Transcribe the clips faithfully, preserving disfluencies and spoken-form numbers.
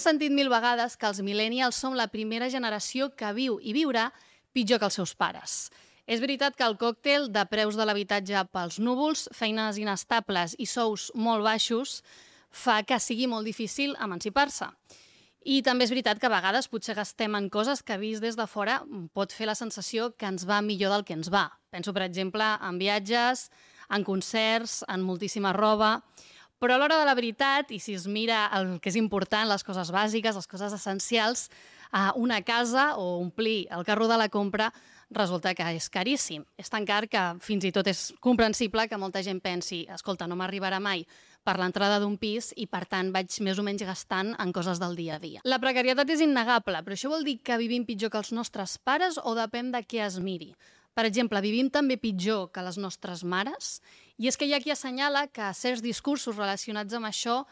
sentit mil vegades que els millennials som la primera generació que viu i viurà pitjor que els seus pares. És veritat que el còctel de preus de l'habitatge pels núvols, feines inestables i sous molt baixos fa que sigui molt difícil emancipar-se. I també és veritat que a vegades potser gastem en coses que vist des de fora pot fer la sensació que ens va millor del que ens va. Penso, per exemple, en viatges, en concerts, en moltíssima roba. Però a l'hora de la veritat, i si es mira el que és important, les coses bàsiques, les coses essencials, una casa o omplir el carro de la compra resulta que és caríssim. És tan car que fins i tot és comprensible que molta gent pensi escolta, no m'arribarà mai per l'entrada d'un pis i, per tant, vaig més o menys gastant en coses del dia a dia. La precarietat és innegable, però això vol dir que vivim pitjor que els nostres pares o depèn de què es miri? Per exemple, vivim també pitjor que les nostres mares? I és que hi ha qui assenyala que certs discursos relacionats amb això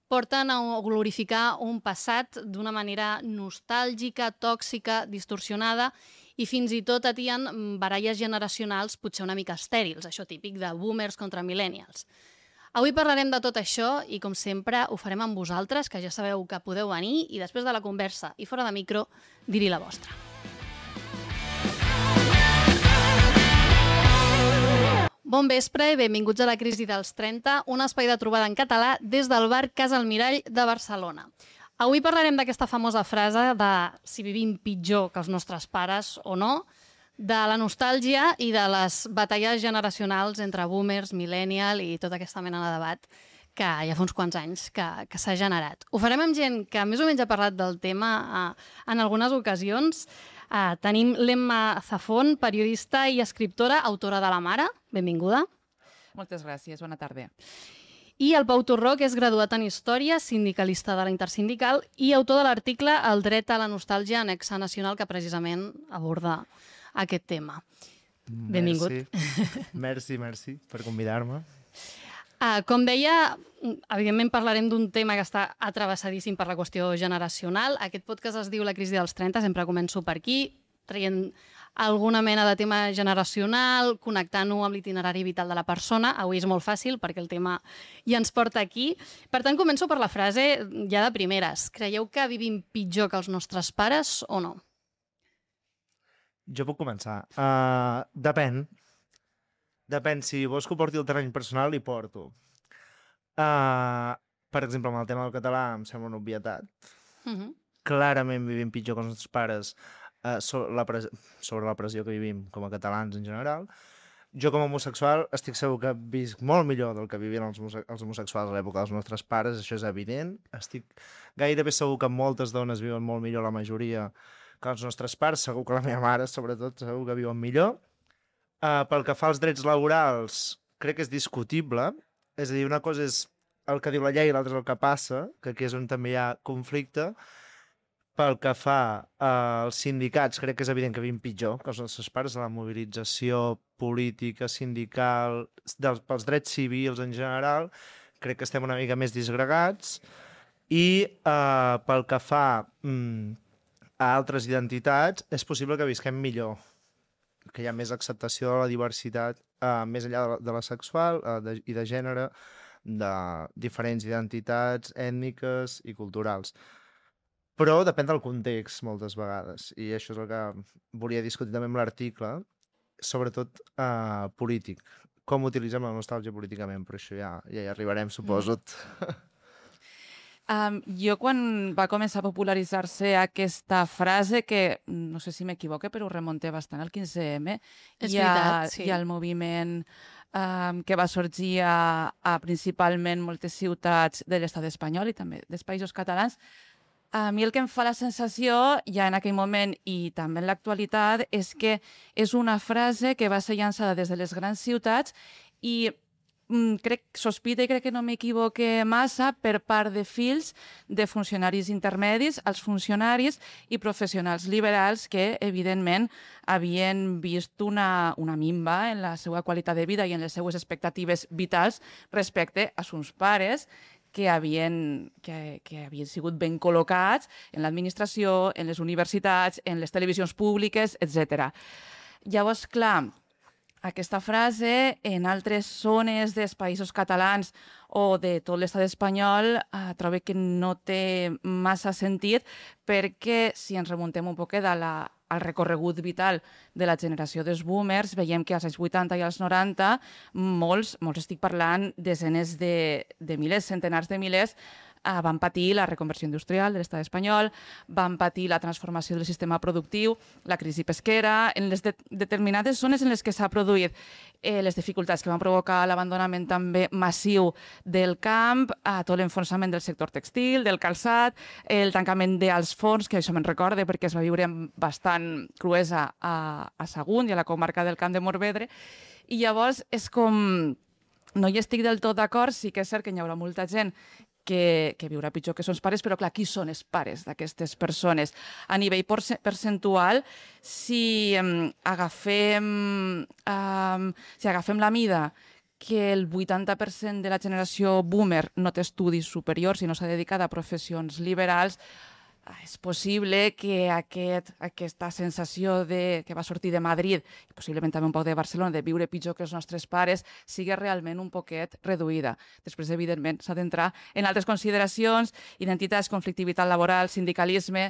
porten a glorificar un passat d'una manera nostàlgica, tòxica, distorsionada i fins i tot atien baralles generacionals potser una mica estèrils, això típic de boomers contra millennials. Avui parlarem de tot això i, com sempre, ho farem amb vosaltres, que ja sabeu que podeu venir i després de la conversa i fora de micro, dir-hi la vostra. Bon vespre i benvinguts a la Crisi dels trenta, un espai de trobada en català des del bar Casa Almirall de Barcelona. Avui parlarem d'aquesta famosa frase de si vivim pitjor que els nostres pares o no, de la nostàlgia i de les batalles generacionals entre boomers, millennial i tota aquesta mena de debat que ja fa uns quants anys que, que s'ha generat. Ho farem amb gent que més o menys ha parlat del tema eh, en algunes ocasions. Uh, tenim l'Emma Zafón, periodista i escriptora, autora de La Mare. Benvinguda. Moltes gràcies, bona tarda. I el Pau Torró, que és graduat en Història, sindicalista de la Intersindical i autor de l'article El dret a la nostàlgia, anexa nacional, que precisament aborda aquest tema. Benvingut. Merci, merci, merci per convidar-me. Uh, com deia, evidentment parlarem d'un tema que està atravessadíssim per la qüestió generacional. Aquest podcast es diu La crisi dels trenta, sempre començo per aquí, traient alguna mena de tema generacional, connectant-ho amb l'itinerari vital de la persona. Avui és molt fàcil perquè el tema ja ens porta aquí. Per tant, començo per la frase ja de primeres. Creieu que vivim pitjor que els nostres pares o no? Jo puc començar. Uh, depèn. Depèn, si vols que ho porti al terreny personal, hi porto. Uh, per exemple, amb el tema del català em sembla una obvietat. Uh-huh. Clarament vivim pitjor que els nostres pares uh, sobre, la pres sobre la pressió que vivim com a catalans en general. Jo com a homosexual estic segur que visc molt millor del que vivien els, els homosexuals a l'època dels nostres pares, això és evident. Estic gairebé segur que moltes dones viuen molt millor, la majoria, que els nostres pares. Segur que la meva mare, sobretot, segur que viuen millor. Uh, pel que fa als drets laborals, crec que és discutible. És a dir, una cosa és el que diu la llei i l'altra és el que passa, que aquí és on també hi ha conflicte. Pel que fa uh, als sindicats, crec que és evident que vivim pitjor que els nostres pares, de la mobilització política, sindical, dels, pels drets civils en general, crec que estem una mica més disgregats. I uh, pel que fa um, a altres identitats, és possible que visquem millor, que hi ha més acceptació de la diversitat, uh, més enllà de la, de la sexual uh, de, i de gènere, de diferents identitats ètniques i culturals. Però depèn del context, moltes vegades, i això és el que volia discutir també amb l'article, sobretot uh, polític. Com utilitzem la nostàlgia políticament, però això ja, ja hi arribarem, suposo. Mm. Um, jo, quan va començar a popularitzar-se aquesta frase, que no sé si m'equivoque, però ho remunta bastant al quinze eme, és hi ha, veritat, sí. Hi ha el moviment um, que va sorgir a, a principalment moltes ciutats de l'estat espanyol i també dels països catalans. A mi el que em fa la sensació, ja en aquell moment i també en l'actualitat, és que és una frase que va ser llançada des de les grans ciutats i crec, sospita i crec que no m'equivoque massa per part de fills de funcionaris intermedis als funcionaris i professionals liberals que, evidentment, havien vist una, una minva en la seva qualitat de vida i en les seues expectatives vitals respecte a sus pares que havien, que, que havien sigut ben col·locats en l'administració, en les universitats, en les televisions públiques, etcètera. Llavors, clar, aquesta frase en altres zones dels països catalans o de tot l'estat espanyol eh, trobo que no té massa sentit perquè si ens remuntem un poquet a la, al recorregut vital de la generació dels boomers, veiem que als anys vuitanta i als noranta molts, molts estic parlant desenes de, de milers, centenars de milers, Uh, van patir la reconversió industrial de l'estat espanyol, van patir la transformació del sistema productiu, la crisi pesquera, en les de determinades zones en les que s'ha produït eh, les dificultats que van provocar l'abandonament també massiu del camp, uh, tot l'enfonsament del sector textil, del calçat, el tancament dels forns, que això me'n recorde perquè es va viure amb bastant cruesa a, a Sagunt i a la comarca del Camp de Morvedre, i llavors és com... No hi estic del tot d'acord, sí que és cert que hi haurà molta gent que, que viurà pitjor que sons pares, però clar, qui són els pares d'aquestes persones? A nivell percentual, si um, agafem, um, si agafem la mida que el vuitanta per cent de la generació boomer no té estudis superiors i no s'ha dedicat a professions liberals, és possible que aquest, aquesta sensació de, que va sortir de Madrid, i possiblement també un poc de Barcelona, de viure pitjor que els nostres pares, sigui realment un poquet reduïda. Després, evidentment, s'ha d'entrar en altres consideracions, identitats, conflictivitat laboral, sindicalisme,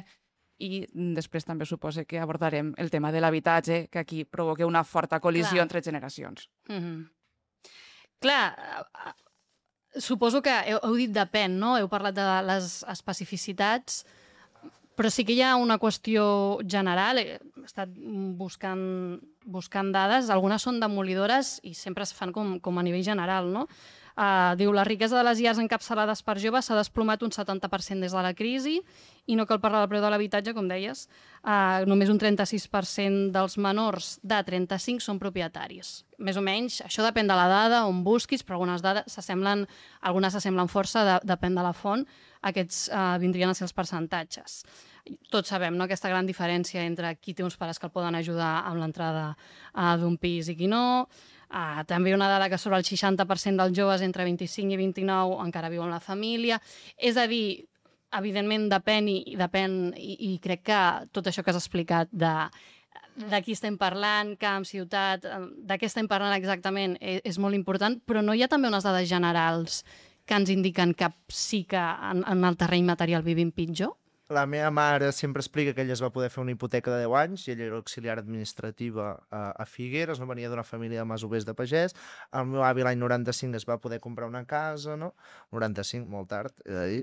i després també suposa que abordarem el tema de l'habitatge, que aquí provoca una forta col·lisió Clar. entre generacions. Mm-hmm. Clar, suposo que heu, heu dit depèn, no? Heu parlat de les especificitats, però sí que hi ha una qüestió general. He estat buscant, buscant dades, algunes són demolidores i sempre es fan com, com a nivell general, no? Uh, diu, la riquesa de les llars encapçalades per joves s'ha desplomat un setanta per cent des de la crisi i no cal parlar del preu de l'habitatge, com deies. Uh, només un trenta-sis per cent dels menors de trenta-cinc són propietaris. Més o menys, això depèn de la dada, on busquis, però algunes dades s'assemblen, algunes s'assemblen força, de, depèn de la font, aquests uh, vindrien a ser els percentatges. Tots sabem, no?, aquesta gran diferència entre qui té uns pares que el poden ajudar amb l'entrada uh, d'un pis i qui no. Uh, també una dada que sobre el seixanta per cent dels joves entre vint-i-cinc i vint-i-nou encara viuen la família. És a dir, evidentment depèn i, depèn, i, i crec que tot això que has explicat de, de qui estem parlant, camp, ciutat, de què estem parlant exactament és, és molt important, però no hi ha també unes dades generals que ens indiquen que sí que en, en el terreny material vivim pitjor? La meva mare sempre explica que ella es va poder fer una hipoteca de deu anys i ella era auxiliar administrativa a, a Figueres, no venia d'una família de masovers de pagès. El meu avi l'any noranta-cinc es va poder comprar una casa, no? noranta-cinc, molt tard, he de dir,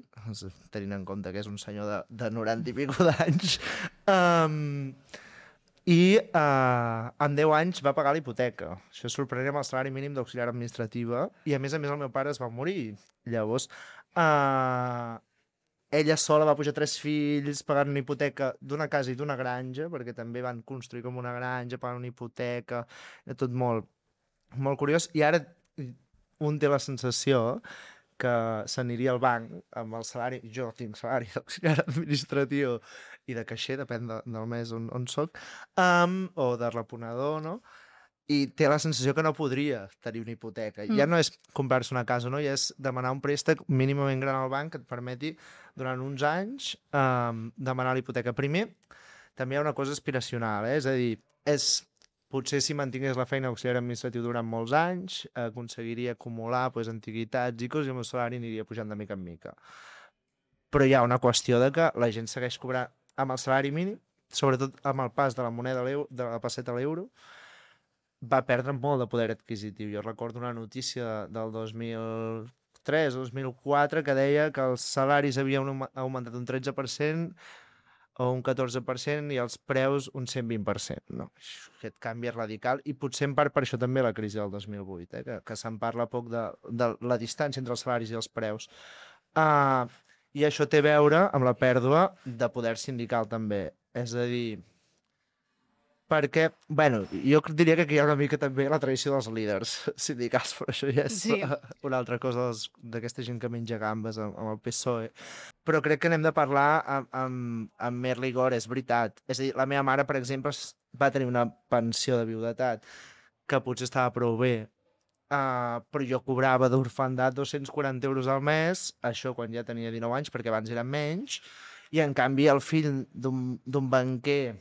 tenint en compte que és un senyor de, de noranta i pico d'anys. Um, I uh, en deu anys va pagar la hipoteca. Això és sorprenent amb el salari mínim d'auxiliar administrativa i a més a més el meu pare es va morir. Llavors... Uh, Ella sola va pujar tres fills, pagant una hipoteca d'una casa i d'una granja, perquè també van construir com una granja, pagant una hipoteca, tot molt, molt curiós. I ara un té la sensació que s'aniria al banc amb el salari, jo tinc salari d'auxiliar administratiu i de caixer, depèn de, del mes on, on soc, um, o de reponedor, no? I té la sensació que no podria tenir una hipoteca. Mm. Ja no és comprar-se una casa, no? Ja és demanar un préstec mínimament gran al banc que et permeti, durant uns anys, um, demanar la hipoteca. Primer, també hi ha una cosa aspiracional, eh? És a dir, és, potser si mantingués la feina auxiliar administratiu durant molts anys, aconseguiria acumular pues, antiguitats i coses i el meu salari aniria pujant de mica en mica. Però hi ha una qüestió de que la gent segueix cobrant amb el salari mínim, sobretot amb el pas de la moneda de la passeta a l'euro, va perdre molt de poder adquisitiu. Jo recordo una notícia del dos mil tres o dos mil quatre que deia que els salaris havien augmentat un tretze per cent o un catorze per cent i els preus un cent vint per cent. No? Aquest canvi és radical i potser en part per això també la crisi del dos mil vuit, eh? que, que se'n parla poc de, de la distància entre els salaris i els preus. Uh, I això té a veure amb la pèrdua de poder sindical també. És a dir, perquè, bueno, jo diria que aquí hi ha una mica també la tradició dels líders sindicals, però això ja és sí. una altra cosa d'aquesta gent que menja gambes amb, amb el P S O E. Però crec que n'hem de parlar amb, amb, amb més rigor, és veritat. És a dir, la meva mare, per exemple, va tenir una pensió de viudetat que potser estava prou bé, uh, però jo cobrava d'orfandat dos-cents quaranta euros al mes, això quan ja tenia dinou anys, perquè abans eren menys, i en canvi el fill d'un banquer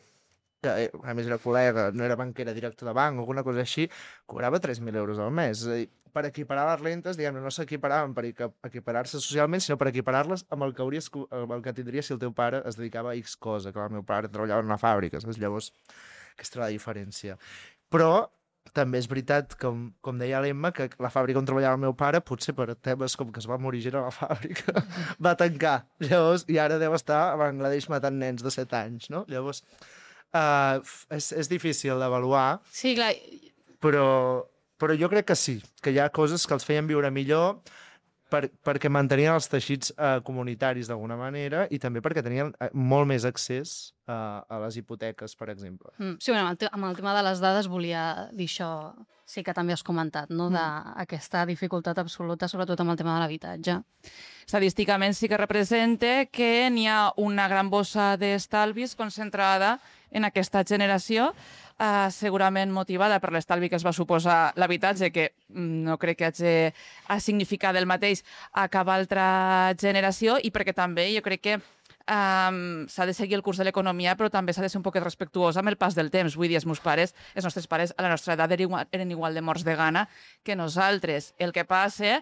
que a més era col·lega, no era banquera, director de banc, alguna cosa així, cobrava tres mil euros al mes. És a dir, per equiparar les rentes, diguem-ne, no s'equiparaven per equiparar-se socialment, sinó per equiparar-les amb el que, hauries, amb el que tindria si el teu pare es dedicava a X cosa, que el meu pare treballava en una fàbrica, saps? Llavors, aquesta era la diferència. Però també és veritat, com, com deia l'Emma, que la fàbrica on treballava el meu pare, potser per temes com que es va morir gent a la fàbrica, va tancar. Llavors, i ara deu estar a Bangladesh matant nens de set anys, no? Llavors, uh, és, és difícil d'avaluar. Sí, clar. Però, però jo crec que sí, que hi ha coses que els feien viure millor per, perquè mantenien els teixits uh, comunitaris d'alguna manera i també perquè tenien uh, molt més accés uh, a les hipoteques, per exemple. Mm, sí, bueno, amb, el te amb el tema de les dades volia dir això, sí que també has comentat, no? D'aquesta dificultat absoluta, sobretot amb el tema de l'habitatge. Estadísticament sí que representa que n'hi ha una gran bossa d'estalvis concentrada en aquesta generació, eh, segurament motivada per l'estalvi que es va suposar l'habitatge, que no crec que hagi a significar del mateix a cap altra generació, i perquè també jo crec que Um, s'ha de seguir el curs de l'economia, però també s'ha de ser un poquet respectuosa amb el pas del temps. Vull dir, els meus pares, els nostres pares a la nostra edat eren igual, eren igual de morts de gana que nosaltres. El que passa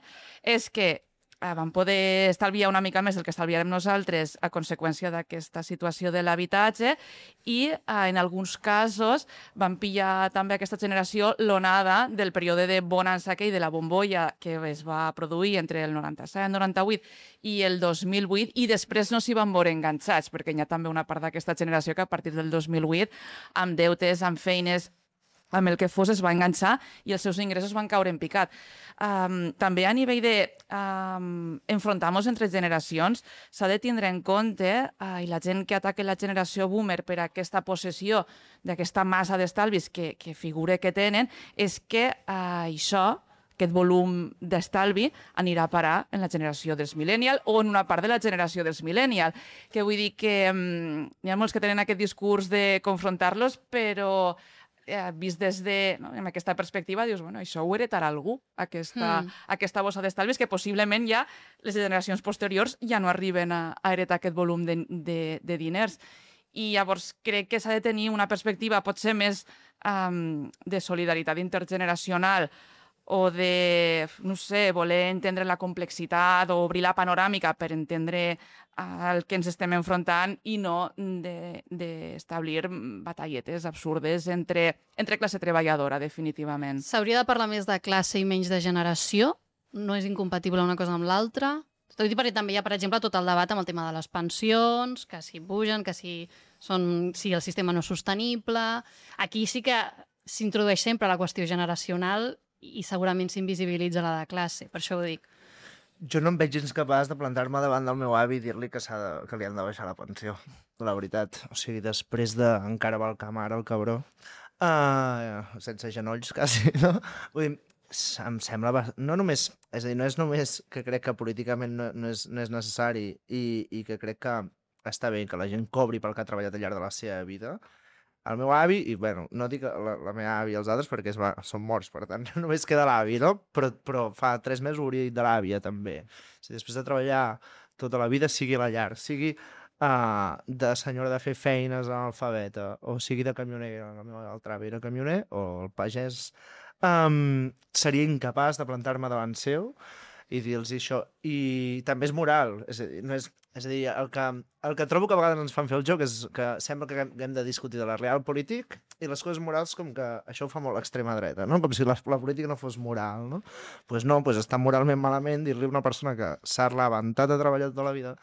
és que uh, vam poder estalviar una mica més del que estalviarem nosaltres a conseqüència d'aquesta situació de l'habitatge i uh, en alguns casos van pillar també aquesta generació l'onada del període de bonança aquell de la bombolla que es va produir entre el noranta-set, noranta-vuit i el dos mil vuit, i després no s'hi van veure enganxats, perquè hi ha també una part d'aquesta generació que a partir del dos mil vuit, amb deutes, amb feines, amb el que fos, es va enganxar i els seus ingressos van caure en picat. Um, també a nivell de um, enfrontar-nos entre generacions s'ha de tindre en compte, uh, i la gent que ataca la generació boomer per aquesta possessió d'aquesta massa d'estalvis que, que figura que tenen, és que uh, això, aquest volum d'estalvi anirà a parar en la generació dels millennial o en una part de la generació dels millennial. Que vull dir que um, hi ha molts que tenen aquest discurs de confrontar-los, però eh, vist des de, no, amb aquesta perspectiva, dius, bueno, això ho heretarà algú, aquesta, mm. aquesta bossa d'estalvis, que possiblement ja les generacions posteriors ja no arriben a, a heretar aquest volum de, de, de diners. I llavors crec que s'ha de tenir una perspectiva potser més um, de solidaritat intergeneracional o de, no sé, voler entendre la complexitat o obrir la panoràmica per entendre el que ens estem enfrontant i no d'establir de, batalletes absurdes entre, entre classe treballadora, definitivament. S'hauria de parlar més de classe i menys de generació? No és incompatible una cosa amb l'altra? Tot i perquè també hi ha, per exemple, tot el debat amb el tema de les pensions, que si pugen, que si, són, si el sistema no és sostenible. Aquí sí que s'introdueix sempre la qüestió generacional i segurament s'invisibilitza la de classe, per això ho dic. Jo no em veig gens capaç de plantar-me davant del meu avi i dir-li que, de, que li han de baixar la pensió, la veritat. O sigui, després de encara va al camp ara, el cabró, uh, sense genolls, quasi, no? Vull dir, em sembla... No només... És a dir, no és només que crec que políticament no, no, és, no és necessari i, i que crec que està bé que la gent cobri pel que ha treballat al llarg de la seva vida. El meu avi, i bueno, no dic la, la meva avi i els altres perquè es va, són morts, per tant, només queda l'avi, no? Però, però fa tres mesos hauria dit de l'àvia, també. Si després de treballar tota la vida, sigui a la llar, sigui uh, de senyora de fer feines analfabeta, o sigui de camioner, el meu altre avi era camioner, o el pagès, um, seria incapaç de plantar-me davant seu i dir-los això. I també és moral, és a dir, no és, és a dir el, que, el que trobo que a vegades ens fan fer el joc és que sembla que hem de discutir de la real polític i les coses morals com que això ho fa molt l'extrema dreta, no? Com si la, la política no fos moral, no? Doncs pues no, pues està moralment malament dir-li a una persona que s'ha levantat a treballar tota la vida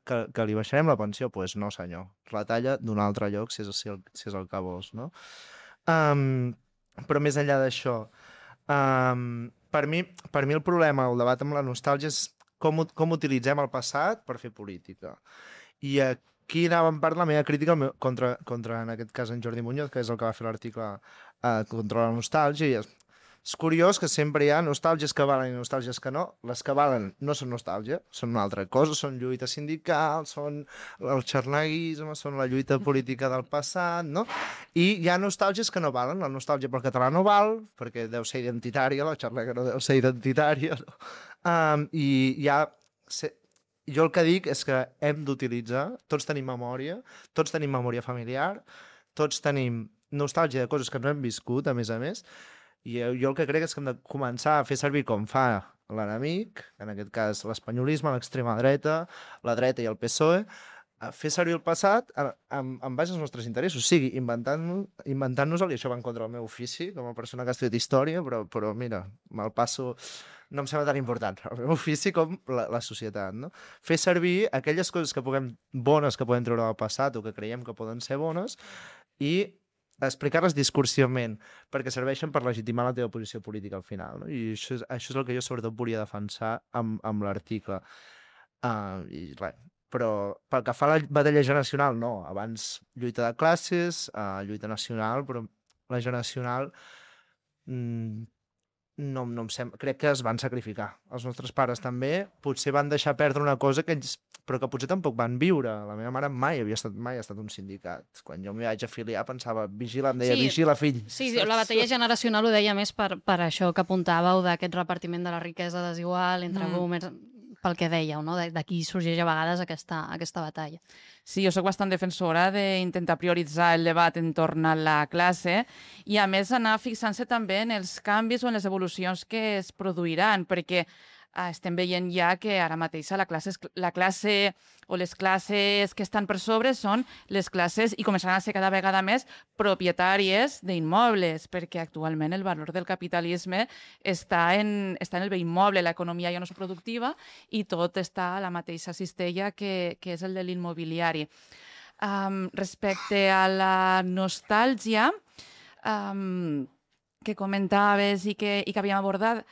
que, que li baixarem la pensió, doncs pues no senyor, retalla d'un altre lloc si és, si el, si és el que vols, no? Um, però més enllà d'això, um, per mi, per mi el problema, el debat amb la nostàlgia és com, com utilitzem el passat per fer política. I aquí anava en part la meva crítica contra, contra, en aquest cas, en Jordi Muñoz, que és el que va fer l'article eh, contra la nostàlgia. I és, és curiós que sempre hi ha nostàlgies que valen i nostàlgies que no. Les que valen no són nostàlgia, són una altra cosa, són lluita sindical, són el xarneguisme, són la lluita política del passat, no? I hi ha nostàlgies que no valen. La nostàlgia pel català no val, perquè deu ser identitària, la xarnega no deu ser identitària, no? Um, I hi ha... Jo el que dic és que hem d'utilitzar, tots tenim memòria, tots tenim memòria familiar, tots tenim nostàlgia de coses que no hem viscut, a més a més, i jo el que crec és que hem de començar a fer servir com fa l'enemic, en aquest cas l'espanyolisme, l'extrema dreta, la dreta i el P S O E, a fer servir el passat en, en base als nostres interessos, o sigui, inventant-nos, inventant-nos-el, i això va en contra del meu ofici, com a persona que ha estudiat història, però, però mira, me'l passo, no em sembla tan important, el meu ofici com la, la societat, no? Fer servir aquelles coses que puguem, bones que podem treure del passat o que creiem que poden ser bones, i explicar-les discursivament, perquè serveixen per legitimar la teva posició política al final, no? I això és, això és el que jo sobretot volia defensar amb, amb l'article. Uh, I res, però pel que fa a la batalla generacional, no. Abans lluita de classes, uh, lluita nacional, però la generacional mm, no, no em sembla... Crec que es van sacrificar. Els nostres pares també potser van deixar perdre una cosa que ells, però que potser tampoc van viure. La meva mare mai havia estat, mai ha estat un sindicat. Quan jo m'hi vaig afiliar pensava, vigila, em deia, Sí, vigila, fill. Sí, sí, la batalla generacional ho deia més per, per això que apuntàveu d'aquest repartiment de la riquesa desigual entre Mm. boomers, pel que dèieu, no? D'aquí sorgeix a vegades aquesta, aquesta batalla. Sí, jo sóc bastant defensora d'intentar prioritzar el debat entorn a la classe i, a més, anar fixant-se també en els canvis o en les evolucions que es produiran, perquè eh, estem veient ja que ara mateix la classe, la classe o les classes que estan per sobre són les classes, i començaran a ser cada vegada més, propietàries d'immobles, perquè actualment el valor del capitalisme està en, està en el bé immoble, l'economia ja no és productiva i tot està a la mateixa cistella que, que és el de l'immobiliari. Um, respecte a la nostàlgia um, que comentaves i que, i que havíem abordat,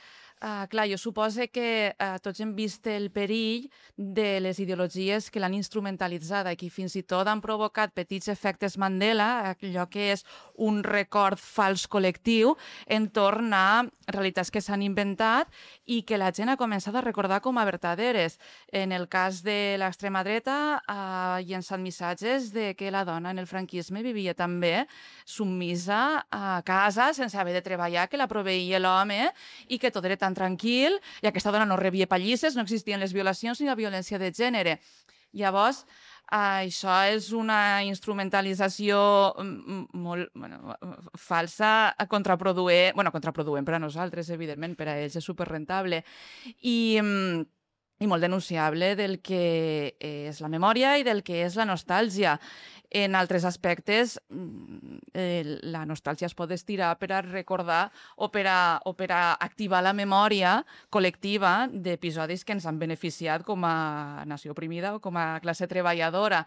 Uh, clar, jo supose que uh, tots hem vist el perill de les ideologies que l'han instrumentalitzada i que fins i tot han provocat petits efectes Mandela, allò que és un record fals col·lectiu entorn a realitats que s'han inventat i que la gent ha començat a recordar com a verdaderes. En el cas de l'extrema dreta, ha uh, llençat missatges de que la dona en el franquisme vivia també submisa a casa sense haver de treballar, que la proveïa l'home i que tot era tan tranquil, i aquesta dona no rebia pallisses, no existien les violacions ni la violència de gènere. Llavors, això és una instrumentalització molt bueno, falsa, contraproduent, bueno, contraproduent per a nosaltres, evidentment, per a ells és superrentable, i, i molt denunciable del que és la memòria i del que és la nostàlgia. En altres aspectes, eh, la nostàlgia es pot estirar per a recordar o per a, o per a activar la memòria col·lectiva d'episodis que ens han beneficiat com a nació oprimida o com a classe treballadora,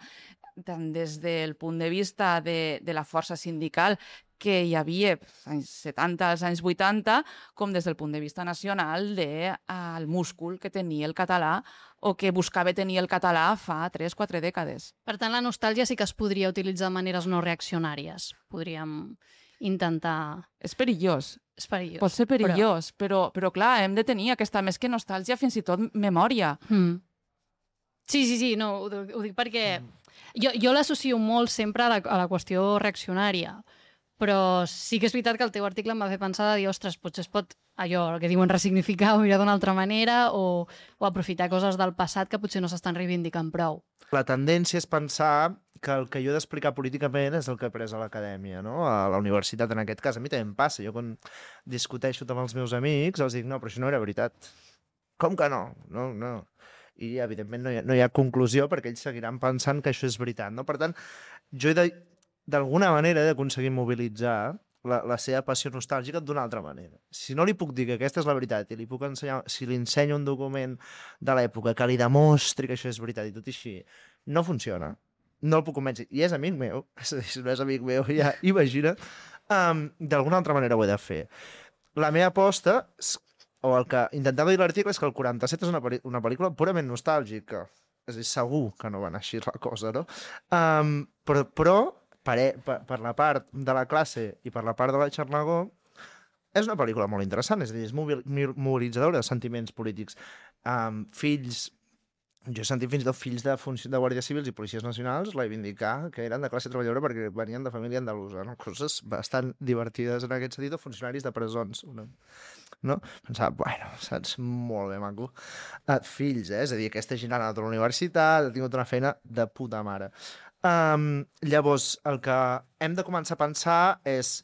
tant des del punt de vista de, de la força sindical que hi havia als anys setanta, als anys vuitanta, com des del punt de vista nacional del de, múscul que tenia el català o que buscava tenir el català fa tres o quatre dècades. Per tant, la nostàlgia sí que es podria utilitzar de maneres no reaccionàries. Podríem intentar... És perillós. És perillós. Pot ser perillós, però, però, però clar, hem de tenir aquesta, més que nostàlgia, fins i tot memòria. Mm. Sí, sí, sí, no, ho, ho dic perquè jo, jo l'associo molt sempre a la, a la qüestió reaccionària, però sí que és veritat que el teu article em va fer pensar de dir, ostres, potser es pot allò el que diuen ressignificar o mirar d'una altra manera o, o aprofitar coses del passat que potser no s'estan reivindicant prou. La tendència és pensar que el que jo he d'explicar políticament és el que he après a l'acadèmia, no? A la universitat, en aquest cas. A mi també em passa. Jo quan discuteixo amb els meus amics els dic, no, però això no era veritat. Com que no? No, no. I, evidentment, no hi ha, no hi ha conclusió perquè ells seguiran pensant que això és veritat, no? Per tant, jo he de, d'alguna manera he d'aconseguir mobilitzar la, la seva passió nostàlgica d'una altra manera. Si no li puc dir que aquesta és la veritat i li puc ensenyar, si li ensenyo un document de l'època que li demostri que això és veritat i tot així, no funciona. No el puc convèncer. I és amic meu, si no és amic meu, ja imagina, um, d'alguna altra manera ho he de fer. La meva aposta, o el que intentava dir l'article, és que el quaranta-set és una, una pel·lícula purament nostàlgica. És a dir, segur que no va anar així la cosa, no? Um, però, però per, per, per la part de la classe i per la part de la Xarnagó, és una pel·lícula molt interessant, és a dir, és mobilitzadora de sentiments polítics. Um, fills Jo he sentit fins i tot fills de, de guàrdies civils i policies nacionals reivindicar que eren de classe treballadora perquè venien de família andalusa, no? Coses bastant divertides en aquest sentit, o funcionaris de presons. No? no? Pensava, bueno, saps? Molt bé, maco. Uh, fills, eh? És a dir, aquesta gent ha anat a la universitat, ha tingut una feina de puta mare. Um, llavors, el que hem de començar a pensar és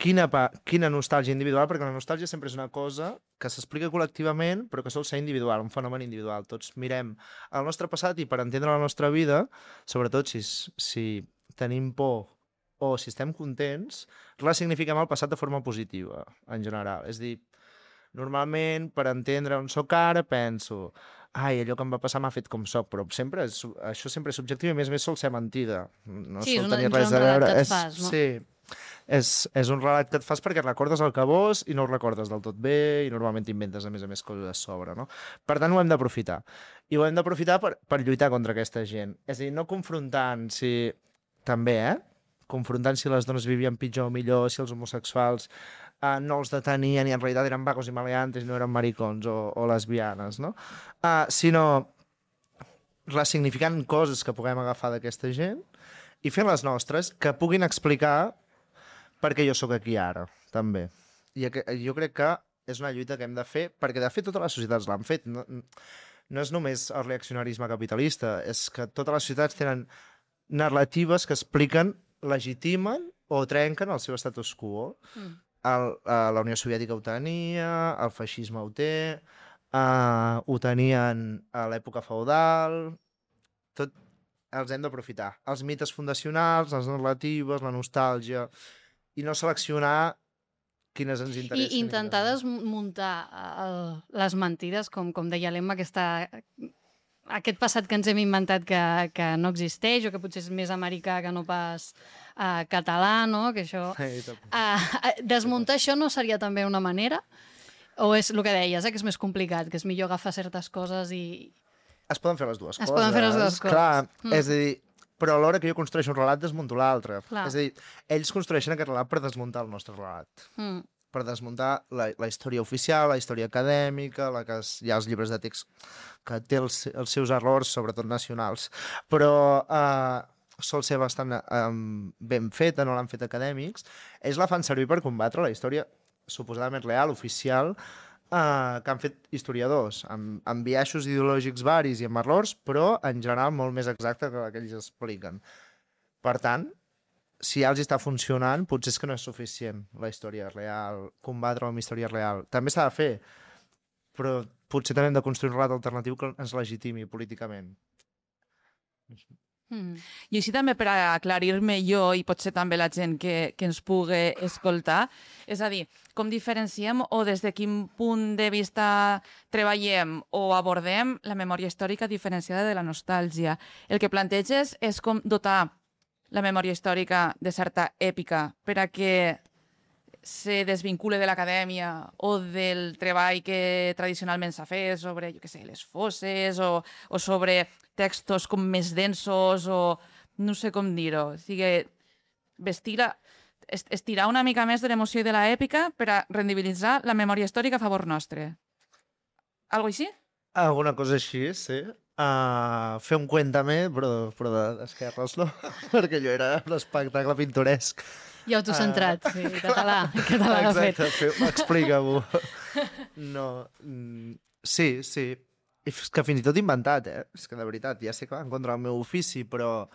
quina, quina nostàlgia individual, perquè la nostàlgia sempre és una cosa que s'explica col·lectivament, però que sol ser individual, un fenomen individual. Tots mirem el nostre passat i per entendre la nostra vida, sobretot si, si tenim por o si estem contents, ressignifiquem el passat de forma positiva, en general. És a dir, normalment, per entendre on sóc ara, penso ai, allò que em va passar m'ha fet com soc, però sempre és, això sempre és subjectiu i a més a més sol ser mentida. No sí, sol és, tenir una, res és un a veure. relat que et és, fas, no? Sí, és, és un relat que et fas perquè recordes el que vols i no ho recordes del tot bé i normalment t'inventes a més a més coses a sobre, no? Per tant, ho hem d'aprofitar. I ho hem d'aprofitar per, per lluitar contra aquesta gent. És a dir, no confrontant si... També, eh? Confrontant si les dones vivien pitjor o millor, si els homosexuals Uh, no els detenien i en realitat eren vagos i maleantes i no eren maricons o, o lesbianes, no? Uh, sinó ressignificant coses que puguem agafar d'aquesta gent i fent les nostres que puguin explicar per què jo sóc aquí ara, també. I jo crec que és una lluita que hem de fer, perquè de fet totes les societats l'han fet. No, no és només el reaccionarisme capitalista, és que totes les societats tenen narratives que expliquen, legitimen o trenquen el seu status quo. Mm. El, uh, la Unió Soviètica ho tenia, el feixisme ho té, uh, ho tenien a l'època feudal, tot els hem d'aprofitar. Els mites fundacionals, les narratives, la nostàlgia, i no seleccionar quines ens interessen. I intentar desmuntar el, les mentides, com, com deia l'Emma, aquesta... aquest passat que ens hem inventat que, que no existeix o que potser és més americà que no pas uh, català, no? Que això... Uh, desmuntar això no seria també una manera? O és el que deies, eh? Que és més complicat, que és millor agafar certes coses i... Es poden fer les dues es coses. Es poden fer les dues coses. Clar, mm. és a dir, però alhora que jo construeixo un relat, desmunto l'altre. Clar. És a dir, ells construeixen aquest relat per desmuntar el nostre relat. Mm. Per desmuntar la, la història oficial, la història acadèmica, la que es, hi ha els llibres de text que té els, els seus errors, sobretot nacionals, però eh, sol ser bastant eh, ben feta, no l'han fet acadèmics. Ells la fan servir per combatre la història suposadament real, oficial, eh, que han fet historiadors, amb, amb biaixos ideològics varis i amb errors, però en general molt més exacte que la que ells expliquen. Per tant, si ja els està funcionant, potser és que no és suficient la història real, combatre amb història real. També s'ha de fer, però potser també hem de construir un relat alternatiu que ens legitimi políticament. Mm. I així també per aclarir-me jo i potser també la gent que, que ens pugui escoltar, és a dir, com diferenciem o des de quin punt de vista treballem o abordem la memòria històrica diferenciada de la nostàlgia. El que planteges és com dotar la memòria històrica de certa èpica per a que se desvincule de l'acadèmia o del treball que tradicionalment s'ha fet sobre, jo què sé, les fosses o, o sobre textos com més densos o no sé com dir-ho. O sigui, vestir la, estirar una mica més de l'emoció i de l'èpica per a rendibilitzar la memòria històrica a favor nostre. Algo així? Alguna cosa així, sí. Uh, fer un cuéntame, però, però d'esquerres, no? Perquè allò era un espectacle pintoresc. I autocentrat, uh, sí, català. català Exacte, explica-m'ho. No, sí, sí. És que fins i tot inventat, eh? És que de veritat, ja sé que va en contra del meu ofici, però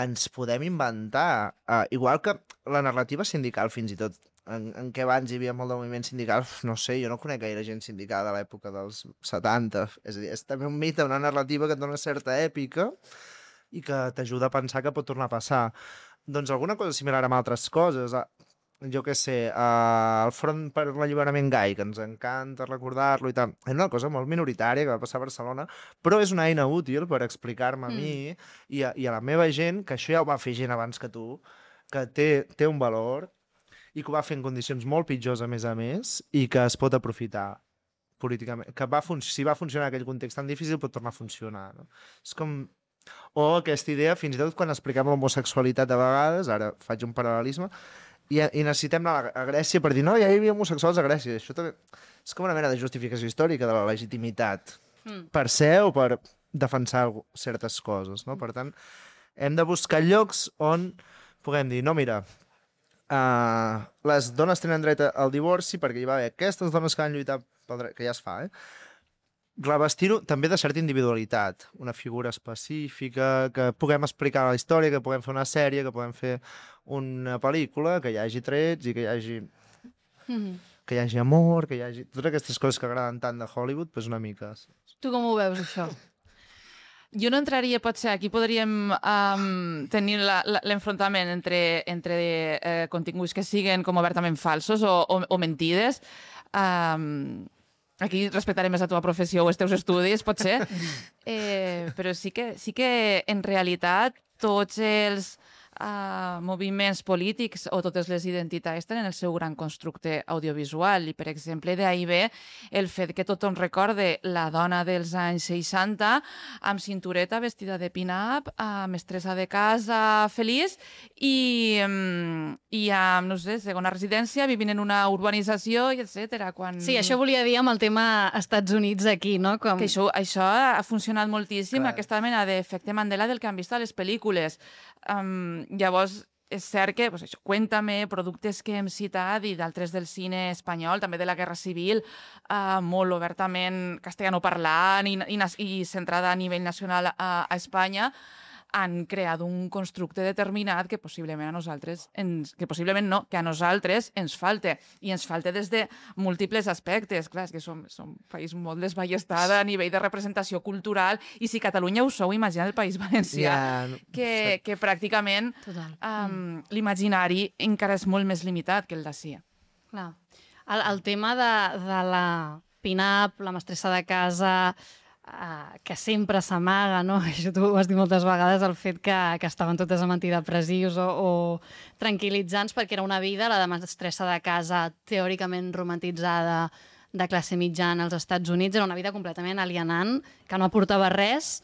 ens podem inventar. Uh, igual que la narrativa sindical, fins i tot, en, en què abans hi havia molt de moviment sindical, no sé, jo no conec gaire gent sindical de l'època dels setanta. És a dir, és també un mite, una narrativa que et dona certa èpica i que t'ajuda a pensar que pot tornar a passar. Doncs alguna cosa similar amb altres coses. Jo què sé, uh, el Front per l'Alliberament Gai, que ens encanta recordar-lo i tal. És una cosa molt minoritària que va passar a Barcelona, però és una eina útil per explicar-me a mm. mi i a, i a la meva gent, que això ja ho va fer gent abans que tu, que té, té un valor i que ho va fer en condicions molt pitjors, a més a més, i que es pot aprofitar políticament. Que va si va funcionar en aquell context tan difícil, pot tornar a funcionar. No? És com... O aquesta idea, fins i tot quan expliquem l'homosexualitat de vegades, ara faig un paral·lelisme, i, i necessitem anar a Grècia per dir no, ja hi havia homosexuals a Grècia. Això també és com una mena de justificació històrica de la legitimitat. Mm. per ser o per defensar certes coses, no? Per tant, hem de buscar llocs on puguem dir, no, mira, uh, les dones tenen dret al divorci perquè hi va haver aquestes dones que van lluitar pel dret, que ja es fa, eh? Revestir-ho també de certa individualitat, una figura específica, que puguem explicar la història, que puguem fer una sèrie, que puguem fer una pel·lícula, que hi hagi trets i que hi hagi, Mm. que hi hagi amor, que hi hagi... Totes aquestes coses que agraden tant de Hollywood, doncs una mica. Tu com ho veus, això? Jo no entraria, potser, aquí podríem um, tenir la- la- l'enfrontament entre, entre eh, continguts que siguen com obertament falsos o, o, o mentides. Um, aquí respectaré més la teva professió o els teus estudis, potser. Eh, però sí que, sí que, en realitat, tots els uh, moviments polítics o totes les identitats tenen el seu gran constructe audiovisual. I, per exemple, d'ahir ve el fet que tothom recorde la dona dels anys seixanta amb cintureta, vestida de pin-up, amb mestressa de casa, feliç, i, mm, i amb, no sé, segona residència, vivint en una urbanització, i etcètera. Quan... Sí, això volia dir amb el tema Estats Units aquí, no? Com... Que això, això ha funcionat moltíssim, Clar. aquesta mena d'efecte Mandela del que han vist a les pel·lícules. Um, llavors, és cert que, pues això, Cuéntame, productes que hem citat i d'altres del cine espanyol, també de la Guerra Civil, uh, molt obertament castellanoparlant i, i, nas- i centrada a nivell nacional a, a Espanya, han creat un constructe determinat que possiblement a nosaltres, ens, que possiblement no, que a nosaltres ens falta. I ens falta des de múltiples aspectes. Clar, és que som, som un país molt desballestat a nivell de representació cultural, i si Catalunya ho sou, imagina el País Valencià, Ja, que, que pràcticament Total. um, l'imaginari encara és molt més limitat que el d'ací. Clar. El, el tema de, de la pin-up, la mestressa de casa, uh, que sempre s'amaga, no? Això tu ho has dit moltes vegades, el fet que, que estaven totes amb antidepressius o, o tranquil·litzants, perquè era una vida, la de mestressa de casa, teòricament romantitzada, de classe mitjana als Estats Units, era una vida completament alienant, que no aportava res,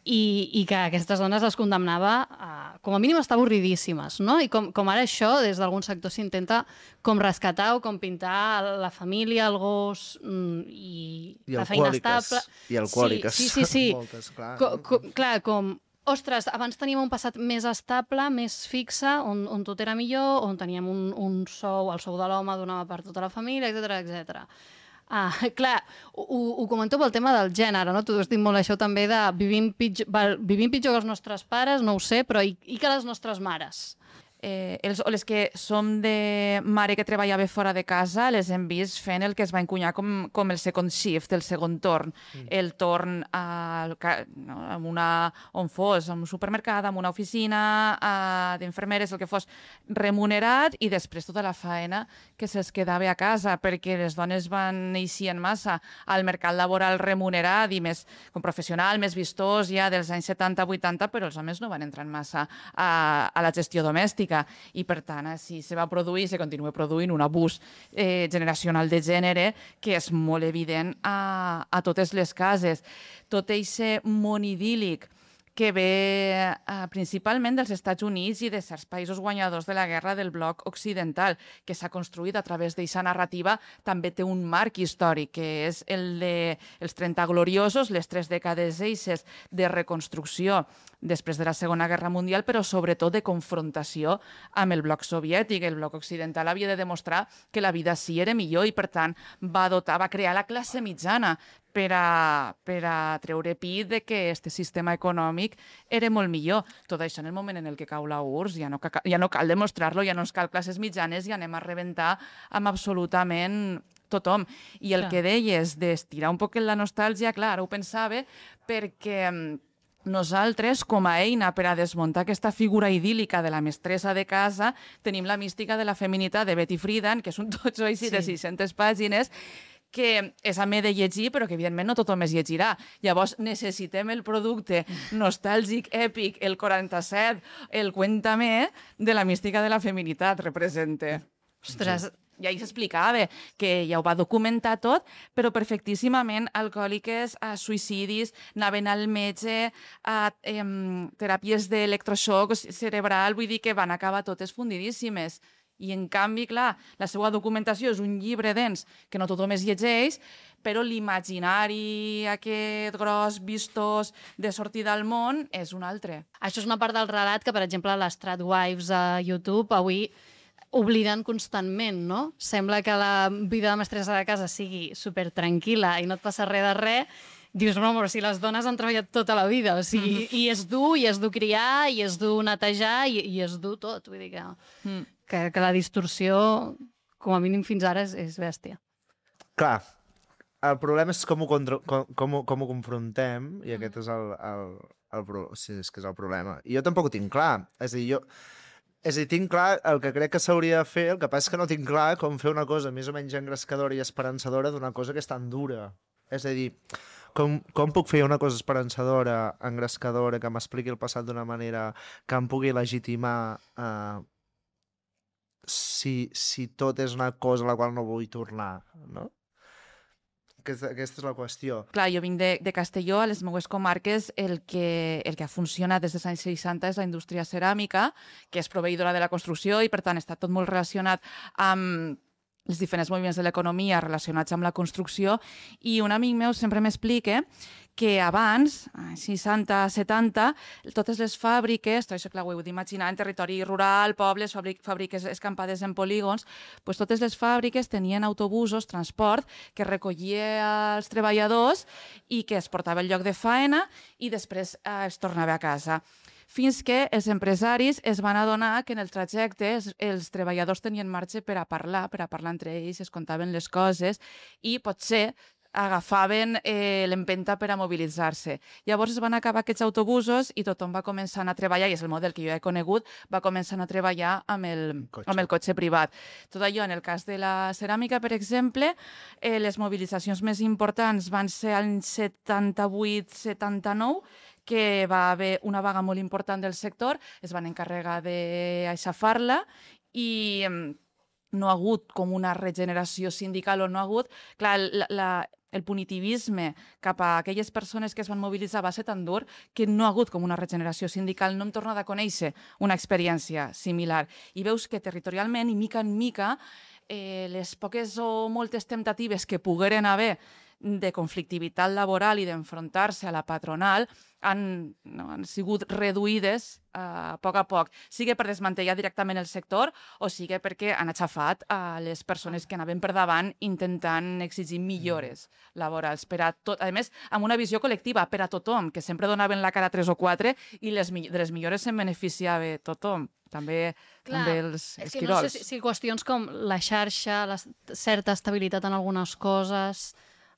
i, i que aquestes dones les condemnava a, com a mínim, a estar avorridíssimes, no? I com, com ara això, des d'algun sector s'intenta com rescatar o com pintar la família, el gos mm, i, I la feina alcohòliques. estable. I alcohòliques. Sí, sí, sí. sí. Moltes, clar. Co, co, clar, com... Ostres, abans teníem un passat més estable, més fixe, on, on tot era millor, on teníem un, un sou, el sou de l'home donava per tota la família, etcètera, etcètera. Ah, clar, ho, ho comento pel tema del gènere, no? Tu has dit molt això també de vivim pitjor, val, vivim pitjor que els nostres pares, no ho sé, però i, i que les nostres mares? Eh, els, o les que som de mare que treballava fora de casa, les hem vist fent el que es va encunyar com, com el second shift, el segon torn. Mm. El torn al, ca- no, en una, on fos, en un supermercat, en una oficina, uh, d'infermeres, el que fos, remunerat, i després tota la faena que se'ls quedava a casa, perquè les dones van eixir massa al mercat laboral remunerat i més com professional, més vistós ja dels anys setanta vuitanta, però els homes no van entrar massa a, a la gestió domèstica. I, per tant, així se va produir i se continua produint un abús eh, generacional de gènere que és molt evident a, a totes les cases. Tot aquest món idíl·lic que ve eh, principalment dels Estats Units i de certs països guanyadors de la guerra del bloc occidental, que s'ha construït a través d'aquesta narrativa, també té un marc històric, que és el de els trenta gloriosos, les tres dècades eixes de reconstrucció després de la Segona Guerra Mundial, però sobretot de confrontació amb el bloc soviètic. El bloc occidental havia de demostrar que la vida sí era millor i, per tant, va dotar, va crear la classe mitjana per a, per a treure pit de que aquest sistema econòmic era molt millor. Tot això en el moment en el que cau la U R S S ja no, ja no cal demostrar-lo, ja no ens cal classes mitjanes i anem a rebentar amb absolutament tothom. I el Clar. que deies d'estirar un poc la nostàlgia, clar, ara ho pensava, perquè nosaltres, com a eina per a desmuntar aquesta figura idíl·lica de la mestressa de casa, tenim la mística de la feminitat de Betty Friedan, que és un totxo així de Sí. sis-centes pàgines, que és a me de llegir, però que evidentment no tothom es llegirà. Llavors necessitem el producte nostàlgic, èpic, el quaranta-set, el Cuéntame, de la mística de la feminitat, representa. Ostres, I ahir s'explicava que ja ho va documentar tot, però perfectíssimament alcohòliques, a suïcidis, anaven al metge, a em, teràpies d'electroxoc cerebral, vull dir que van acabar totes fundidíssimes. I, en canvi, clar, la seva documentació és un llibre dens que no tothom es llegeix, però l'imaginari aquest gros, vistós, de sortida al món, és un altre. Això és una part del relat que, per exemple, les Stradwives a YouTube avui obliden constantment, no? Sembla que la vida de mestressa de casa sigui super tranquil·la i no et passa res de res. Dius, no, però si les dones han treballat tota la vida, o sigui, mm. i és dur, i és dur criar, i és dur netejar, i, i és dur tot. Vull dir que, mm. que, que la distorsió, com a mínim fins ara, és, és bèstia. Clar, el problema és com ho, contra, com, com, ho, com ho confrontem, i aquest és el, el, el, el, sí, és que és el problema. I jo tampoc ho tinc clar. És a dir, jo... És a dir, tinc clar el que crec que s'hauria de fer, el que passa és que no tinc clar com fer una cosa més o menys engrescadora i esperançadora d'una cosa que és tan dura. És a dir, com, com puc fer una cosa esperançadora, engrescadora, que m'expliqui el passat d'una manera que em pugui legitimar eh, si, si tot és una cosa a la qual no vull tornar, no? Aquesta, aquesta és la qüestió. Clar, jo vinc de, de Castelló, a les meues comarques el que, el que ha funcionat des dels anys seixanta és la indústria ceràmica, que és proveïdora de la construcció i, per tant, està tot molt relacionat amb els diferents moviments de l'economia relacionats amb la construcció, i un amic meu sempre m'explica que abans, seixanta, setanta, totes les fàbriques, tot això clar, ho heu d'imaginar, en territori rural, pobles, fàbriques escampades en polígons, doncs totes les fàbriques tenien autobusos, transport, que recollia els treballadors i que es portava al lloc de faena i després eh, es tornava a casa. Fins que els empresaris es van adonar que en el trajecte els, els treballadors tenien marge per a parlar, per a parlar entre ells, es contaven les coses i potser agafaven eh, l'empenta per a mobilitzar-se. Llavors es van acabar aquests autobusos i tothom va començar a anar a treballar, i és el model que jo he conegut, va començar a treballar amb el, amb el cotxe privat. Tot allò, en el cas de la ceràmica, per exemple, eh, les mobilitzacions més importants van ser l'any setanta-vuit setanta-nou, que va haver una vaga molt important del sector, es van encarregar d'aixafar-la i no ha hagut com una regeneració sindical o no ha hagut... Clar, la, la, el punitivisme cap a aquelles persones que es van mobilitzar va ser tan dur que no ha hagut com una regeneració sindical. No hem tornat a conèixer una experiència similar. I veus que territorialment, i mica en mica, eh, les poques o moltes temptatives que pogueren haver de conflictivitat laboral i d'enfrontar-se a la patronal han, no, han sigut reduïdes a poc a poc, sigui per desmantellar directament el sector o sigui perquè han aixafat a les persones que anaven per davant intentant exigir millores laborals per a tot, a més, amb una visió col·lectiva per a tothom, que sempre donaven la cara tres o quatre i les, de les millores se'n beneficiava tothom. També, Clar, també els, els és que quirols. No sé si, si qüestions com la xarxa, la certa estabilitat en algunes coses,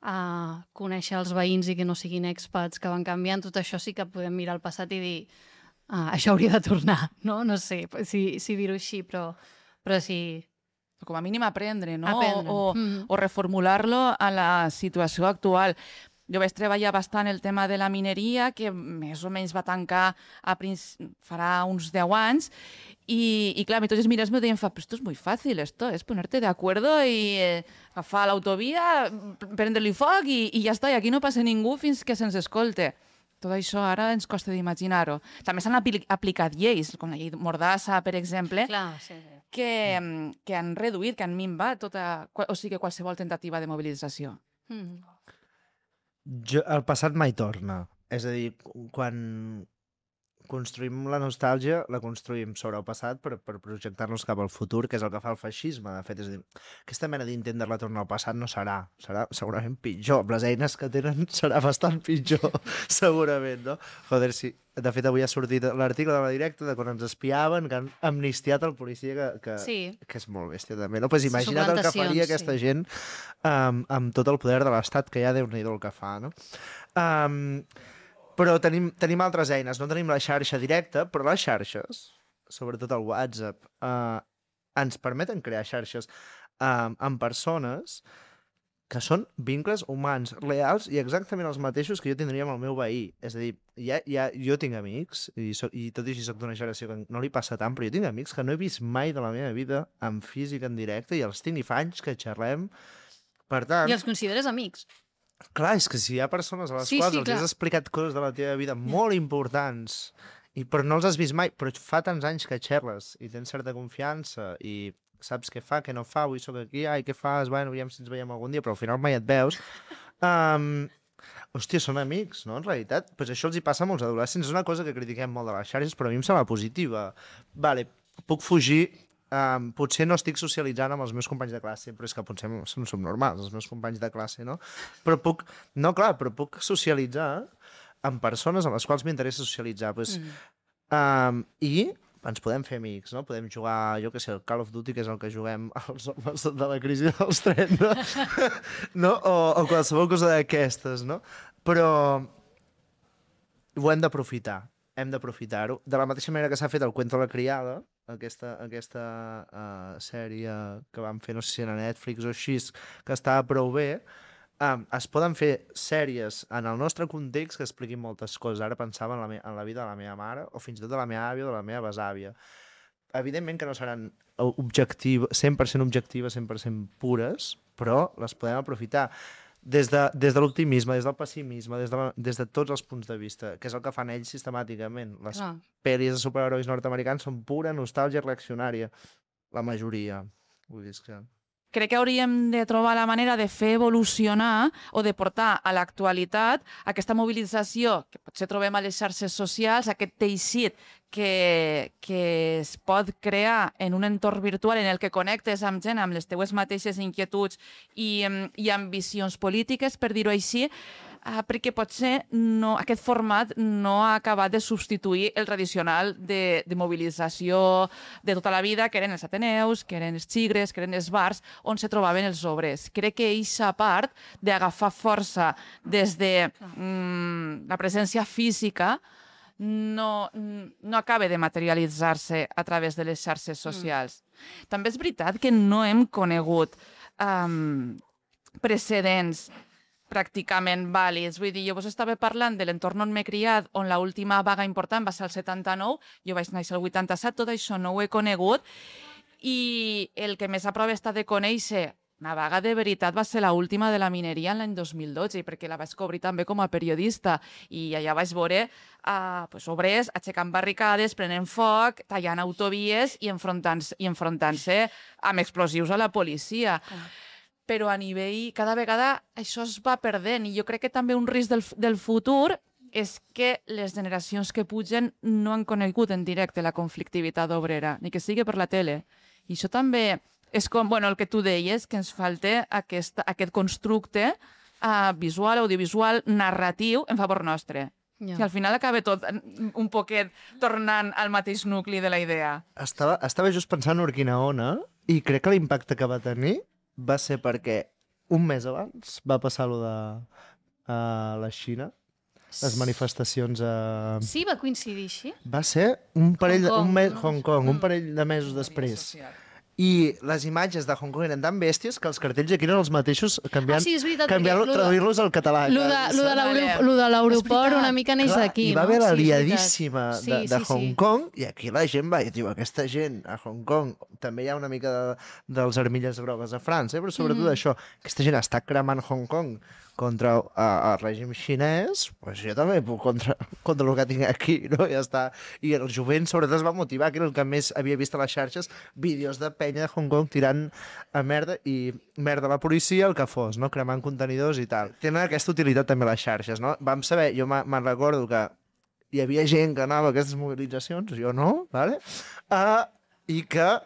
a conèixer els veïns i que no siguin expats que van canviant, tot això sí que podem mirar al passat i dir ah, això hauria de tornar, no? No sé si, si dir-ho així, però, però sí... Com a mínim aprendre, no? Aprendre. O, o, mm. o reformular-lo a la situació actual. Jo vaig treballar bastant el tema de la mineria, que més o menys va tancar a farà uns deu anys, i, i clar, a mi tots els mirats me deien, però esto es muy fácil, esto es ponerte de acuerdo i eh, agafar l'autovia, prendre-li foc i, i ja està, i aquí no passa ningú fins que se'ns escolte. Tot això ara ens costa d'imaginar-ho. També s'han apli aplicat lleis, com la llei Mordassa, per exemple, Clar, sí, sí. Que, que han reduït, que han minvat tota, o sigui, qualsevol tentativa de mobilització. Mm. Jo, el passat mai torna. És a dir, quan construïm la nostàlgia, la construïm sobre el passat per, per projectar-nos cap al futur, que és el que fa el feixisme, de fet. És a dir, aquesta mena d'intent de retorn al passat no serà. Serà segurament pitjor. Amb les eines que tenen serà bastant pitjor, segurament, no? Joder, sí. De fet, avui ha sortit l'article de la Directa de quan ens espiaven, que han amnistiat el policia, que, que, sí. que és molt bèstia, també. No? Pues imagina't el que faria aquesta sí. gent um, amb tot el poder de l'Estat, que ja Déu-n'hi-do el que fa, no? Um, Però tenim, tenim altres eines, no tenim la xarxa directa, però les xarxes, sobretot el WhatsApp, eh, ens permeten crear xarxes eh, amb persones que són vincles humans, reals i exactament els mateixos que jo tindria amb el meu veí. És a dir, ja, ja, jo tinc amics, i, so, i tot i així soc d'una generació que no li passa tant, però jo tinc amics que no he vist mai de la meva vida en físic, en directe, i els tinc i fa anys que xerrem. Per tant... I els consideres amics? Clar, és que si hi ha persones a les sí, quals sí, els clar. has explicat coses de la teva vida molt importants I, però no els has vist mai, però fa tants anys que xerres i tens certa confiança i saps què fa, què no fa, avui sóc aquí, ai, què fas, bueno, aviam si ens veiem algun dia, però al final mai et veus. Um, hòstia, són amics, no? En realitat, pues això els hi passa a molts adolescents. És una cosa que critiquem molt de les xarxes, però a mi em sembla positiva. Vale, puc fugir. Um, potser no estic socialitzant amb els meus companys de classe, però és que potser no som normals, els meus companys de classe, no? Però puc, no, clar, però puc socialitzar amb persones amb les quals m'interessa socialitzar. Pues, mm. um, I ens podem fer amics, no? Podem jugar, jo què sé, el Call of Duty, que és el que juguem els homes de la crisi dels trenta, no? O, o qualsevol cosa d'aquestes, no? Però ho hem d'aprofitar, hem d'aprofitar-ho. De la mateixa manera que s'ha fet el Cuento de la criada, aquesta, aquesta uh, sèrie que vam fer, no sé si era Netflix o així, que estava prou bé, um, es poden fer sèries en el nostre context que expliquin moltes coses. Ara pensava en la, en la vida de la meva mare o fins i tot de la meva àvia o de la meva besàvia. Evidentment que no seran objectiu, cent per cent objectives, cent per cent pures, però les podem aprofitar des de, des de l'optimisme, des del pessimisme, des de, la, des de tots els punts de vista, que és el que fan ells sistemàticament. Les Clar. pel·lis de superherois nord-americans són pura nostàlgia reaccionària, la majoria. Vull dir que... Crec que hauríem de trobar la manera de fer evolucionar o de portar a l'actualitat aquesta mobilització que potser trobem a les xarxes socials, aquest teixit que, que es pot crear en un entorn virtual en el que connectes amb gent amb les teues mateixes inquietuds i, i ambicions polítiques, per dir-ho així, Uh, perquè potser no, aquest format no ha acabat de substituir el tradicional de, de mobilització de tota la vida, que eren els ateneus, que eren els xigres, que eren els bars, on se trobaven els obrers. Crec que eixa part d'agafar força des de mm, la presència física no, no acaba de materialitzar-se a través de les xarxes socials. Mm. També és veritat que no hem conegut um, precedents pràcticament vàlids. Vull dir, jo vos estava parlant de l'entorn on m'he criat, on l'última vaga important va ser el setanta-nou, jo vaig néixer el vuitanta-set, tot això no ho he conegut, i el que més a prop està de conèixer una vaga de veritat va ser l'última de la mineria en l'any dos mil dotze, perquè la vaig cobrir també com a periodista, i allà vaig veure uh, pues, obrers aixecant barricades, prenent foc, tallant autovies i enfrontant-se i enfrontant-se amb explosius a la policia. Ah. Però a nivell, cada vegada això es va perdent, i jo crec que també un risc del, del futur és que les generacions que pugen no han conegut en directe la conflictivitat obrera, ni que sigui per la tele. I això també és com, bueno, el que tu deies, que ens falta aquest, aquest constructe uh, visual, audiovisual, narratiu en favor nostre. Yeah. I al final acaba tot un poquet tornant al mateix nucli de la idea. Estava, estava just pensant en Urquinaona i crec que l'impacte que va tenir va ser perquè un mes abans va passar allò de uh, la Xina, les manifestacions a... Sí, va coincidir així? Va ser un parell, Hong Kong, un mes, no? Hong Kong, Mm. un parell de mesos després. I les imatges de Hong Kong eren tan bèsties que els cartells aquí eren els mateixos, canviant, Ah, sí, és veritat, canviant perquè lo de- traduir-los al català. Lo de, lo de l'aero- lo de l'aeroport una mica neix Clar, d'aquí, hi va no? haver la Sí, és veritat. liadíssima Sí, de, de sí, Hong sí. Kong, i aquí la gent va, i diu, aquesta gent a Hong Kong, també hi ha una mica de, dels armilles grogues a França, eh? Però sobretot Mhm. això, aquesta gent està cremant Hong Kong contra uh, el règim xinès, pues jo també puc contra, contra el que tinc aquí, no? Ja està. I el jovent sobretot es va motivar, que era el que més havia vist a les xarxes, vídeos de penya de Hong Kong tirant a merda i merda a la policia, el que fos, no? Cremant contenidors i tal. Tenen aquesta utilitat també les xarxes, no? Vam saber, jo me- me'n recordo que hi havia gent que anava a aquestes mobilitzacions, jo no, vale? Uh, i que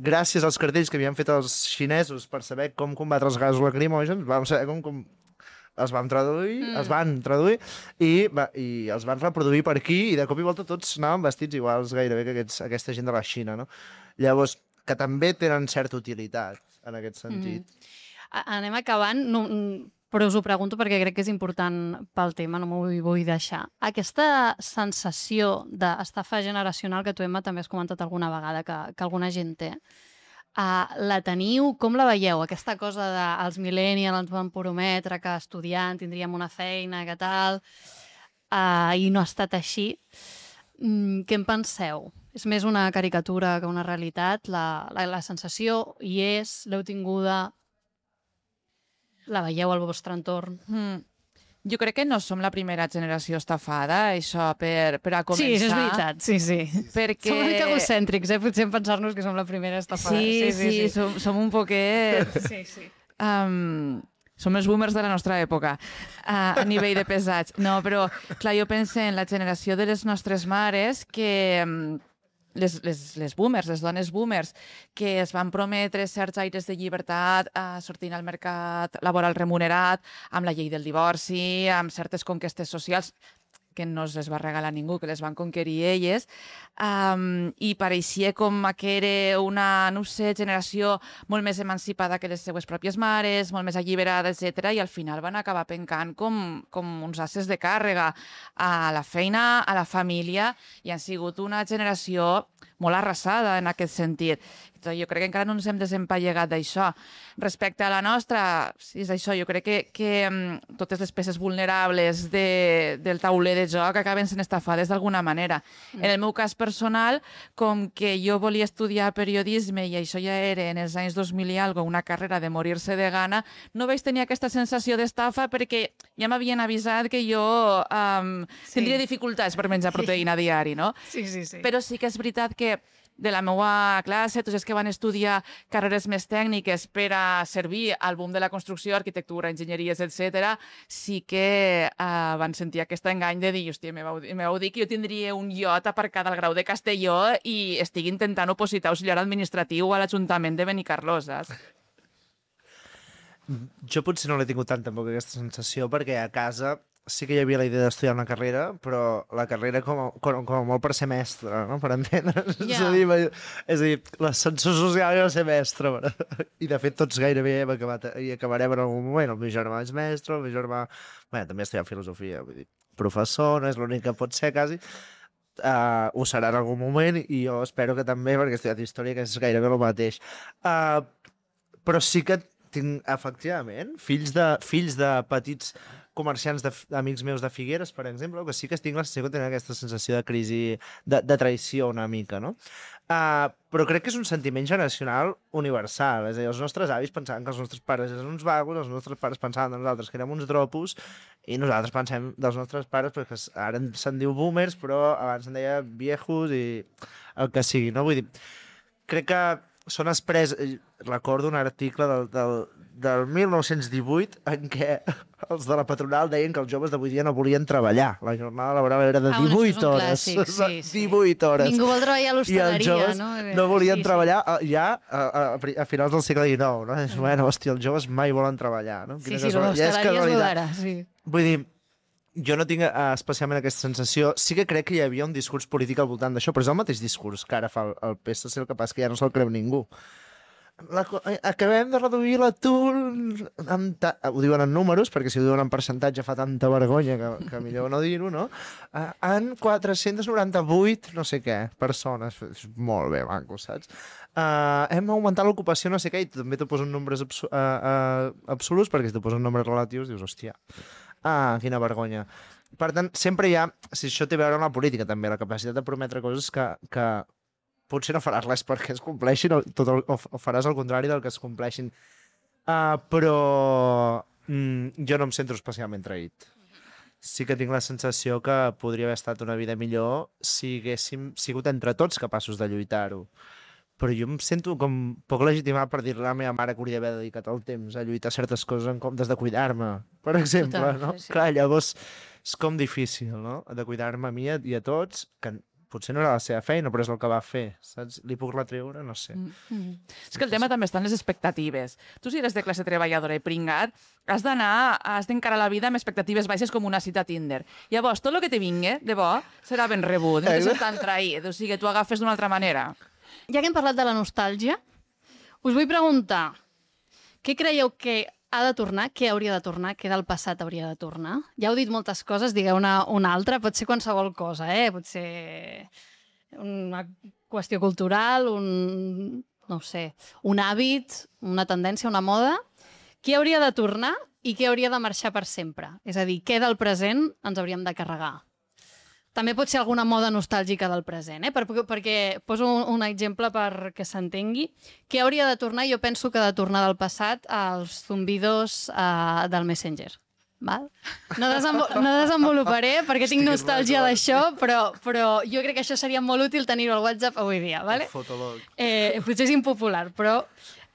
gràcies als cartells que havien fet els xinesos per saber com combatre els gasos lacrimògens, vam saber com, com els vam traduir, mm. els van traduir i, va, i els van reproduir per aquí, i de cop i volta tots anaven vestits iguals gairebé que aquests, aquesta gent de la Xina, no? Llavors, que també tenen certa utilitat en aquest sentit. Mm. Anem acabant, no, però us ho pregunto perquè crec que és important pel tema, no m'ho vull, vull deixar. Aquesta sensació d'estafa generacional que tu, Emma, també has comentat alguna vegada que, que alguna gent té, Uh, la teniu, com la veieu? Aquesta cosa de els millennials ens van prometre que estudiant tindríem una feina, que tal, uh, i no ha estat així. Mm, què en penseu? És més una caricatura que una realitat? La, la, la sensació hi és, l'heu tinguda, la veieu al vostre entorn? Mm. Jo crec que no som la primera generació estafada, això, per, per a començar. Sí, és veritat, sí, sí. Perquè... Som una mica egocèntrics, eh? Potser en pensar-nos que som la primera estafada. Sí, sí, sí, sí. Som, som un poquet... Sí, sí. Um, som els boomers de la nostra època, uh, a nivell de pesats. No, però, clar, jo penso en la generació de les nostres mares que... Um, Les, les, les boomers, les dones boomers, que es van prometre certs aires de llibertat eh, sortint al mercat laboral remunerat, amb la llei del divorci, amb certes conquestes socials que no es les va regalar ningú, que les van conquerir elles, um, i pareixia com que era una, no sé, generació molt més emancipada que les seues pròpies mares, molt més alliberada, etcètera, i al final van acabar pencant com, com uns asses de càrrega a la feina, a la família, i han sigut una generació molt arrasada en aquest sentit. Jo crec que encara no ens hem desempallegat d'això. Respecte a la nostra, sí, és això, jo crec que, que um, totes les peces vulnerables de, del tauler de joc acaben sent estafades d'alguna manera. Mm. En el meu cas personal, com que jo volia estudiar periodisme i això ja era en els anys dos mil i algo, una carrera de morir-se de gana, no vaig tenir aquesta sensació d'estafa perquè ja m'havien avisat que jo um, sí. tindria dificultats per menjar proteïna sí. diari, no? Sí, sí, sí. Però sí que és veritat que de la meva classe, tots els que van estudiar carreres més tècniques per a servir al boom de la construcció, arquitectura, enginyeries, etcètera, sí que uh, van sentir aquest engany de dir, hòstia, me vau, me vau dir que jo tindria un iot aparcat al Grau de Castelló i estic intentant opositar auxiliar administratiu a l'Ajuntament de Benicarló, saps? Jo potser no l'he tingut tant tampoc aquesta sensació, perquè a casa sí que hi havia la idea d'estudiar una carrera, però la carrera com a, com, com a molt per ser mestre, no? Per entendre's. Yeah. És a dir, és a dir l'ascensor social era ser mestre. I de fet tots gairebé hem acabat, i acabarem en algun moment. El meu germà és mestre, el meu germà... Bé, també estudia filosofia, vull dir, professor, no és l'únic que pot ser, quasi. Uh, ho serà en algun moment, i jo espero que també, perquè he estudiat història, que és gairebé el mateix. Uh, però sí que tinc, efectivament, fills de, fills de petits comerciants d'amics meus de Figueres, per exemple, que sí que tinc la sensació que tenen aquesta sensació de crisi, de, de traïció una mica, no? Uh, però crec que és un sentiment generacional universal. És a dir, els nostres avis pensaven que els nostres pares eren uns vagos, els nostres pares pensaven de nosaltres que érem uns dropos, i nosaltres pensem dels nostres pares, perquè ara se'n diu boomers, però abans se'n deia viejos i el que sigui, no? Vull dir, crec que són express... Recordo un article del, del, del mil nou-cents divuit en què els de la patronal deien que els joves d'avui dia no volien treballar. La jornada laboral era de divuit ah, hores. Clàssic, sí, sí. divuit hores. Ningú vol treballar a l'hostaleria, no? I els joves no volien sí, treballar sí. ja a, a, a finals del segle dinou, no? És, bueno, hòstia, els joves mai volen treballar, no? Sí, sí, l'hostaleria és d'ara, sí. Vull dir, jo no tinc uh, especialment aquesta sensació. Sí que crec que hi havia un discurs polític al voltant d'això, però és el mateix discurs que ara fa el, el P S C, el que passa que ja no se'l creu ningú. La, acabem de reduir l'atur ta... ho diuen en números, perquè si ho diuen en percentatge fa tanta vergonya que, que millor no dir-ho, no? Uh, en quatre-cents noranta-vuit no sé què persones, és molt bé maco, saps? Uh, hem augmentat l'ocupació no sé què, i també t'ho posen nombres abs uh, uh, absoluts, perquè si t'ho posen nombres relatius dius, hòstia, ah, quina vergonya. Per tant, sempre hi ha, si això té a veure amb la política també, la capacitat de prometre coses que, que potser no faràs res perquè es compleixin, o, tot el, o faràs el contrari del que es compleixin. Uh, però mm, jo no em sento especialment traït. Sí que tinc la sensació que podria haver estat una vida millor si haguéssim sigut entre tots capaços de lluitar-ho. Però jo em sento com poc legitimat per dir-li a la meva mare que hauria d'haver dedicat el temps a lluitar certes coses en comptes de cuidar-me, per exemple. Total, no? Sí, sí. Clar, llavors és com difícil, no?, de cuidar-me a mi i a tots, que potser no era la seva feina, però és el que va fer, saps? Li puc retreure? No sé. Mm -hmm. És que el tema també està en les expectatives. Tu, si eres de classe treballadora i pringat, has d'anar, has d'encarar la vida amb expectatives baixes com una cita a Tinder. Llavors, tot el que te vingui, de bo, serà ben rebut. No te sents tan traït. O sigui, tu agafes d'una altra manera. Ja que hem parlat de la nostàlgia, us vull preguntar, què creieu que ha de tornar, què hauria de tornar, què del passat hauria de tornar? Ja heu dit moltes coses, digueu una, una altra, pot ser qualsevol cosa, eh? Pot ser una qüestió cultural, un, no ho sé, un hàbit, una tendència, una moda. Què hauria de tornar i què hauria de marxar per sempre? És a dir, què del present ens hauríem de carregar? També pot ser alguna moda nostàlgica del present, eh? Per, perquè poso un, un exemple perquè s'entengui. Què hauria de tornar? Jo penso que ha de tornar del passat als zumbidos uh, del Messenger. val? No, desenvo no desenvoluparé perquè tinc nostàlgia d'això, però, però jo crec que això seria molt útil tenir-ho al WhatsApp avui dia, vale? Fotolog. Eh, potser és impopular, però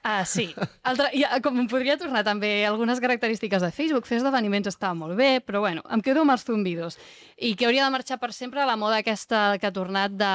ah, sí. Altra, ja, com em podria tornar també algunes característiques de Facebook, fer esdeveniments estava molt bé, però bueno, em quedo amb els zumbidos. I que hauria de marxar per sempre la moda aquesta que ha tornat de,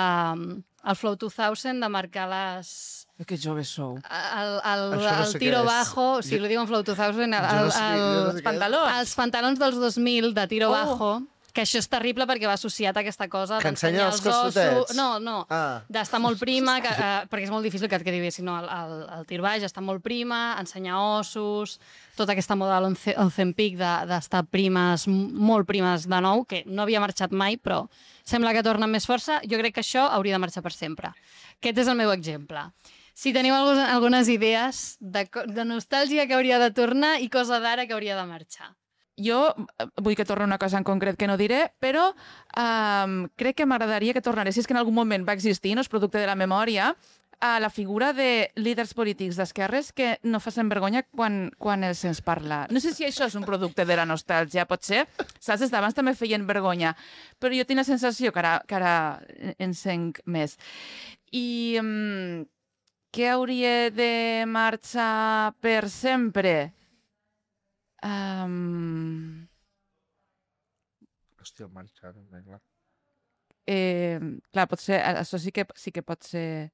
el Flow dos mil, de marcar les... Que joves sou. El, el, Això no el sé tiro què és. bajo, si Jo- lo diuen Flow dos mil, el, Jo no sé què- jo no el, sé Els pantalons. els pantalons dels dos mil de tiro Oh. bajo, que això és terrible perquè va associat a aquesta cosa Que d'ensenyar ensenya els els ossos... costotets. No, no, Ah. d'estar molt prima, que, eh, perquè és molt difícil que et quedi bé, si no, el, el, el tir baix està molt prima, ensenyar ossos, tota aquesta moda de l'Ozempic d'estar primes, molt primes de nou, que no havia marxat mai, però sembla que torna amb més força. Jo crec que això hauria de marxar per sempre. Aquest és el meu exemple. Si teniu algunes, algunes idees de, co- de nostàlgia que hauria de tornar i cosa d'ara que hauria de marxar. Jo eh, vull que torni una cosa en concret que no diré, però um, crec que m'agradaria que tornaré, si és que en algun moment va existir, no és producte de la memòria, a la figura de líders polítics d'esquerres que no facin vergonya quan, quan els sents parlar. No sé si això és un producte de la nostàlgia, pot ser. Saps, des d'abans també feien vergonya, però jo tinc la sensació que ara, que ara en sent més. I um, què hauria de marxar per sempre? Um, Hòstia, el marxa, no, clar. eh, clar, potser, això sí que, sí que pot ser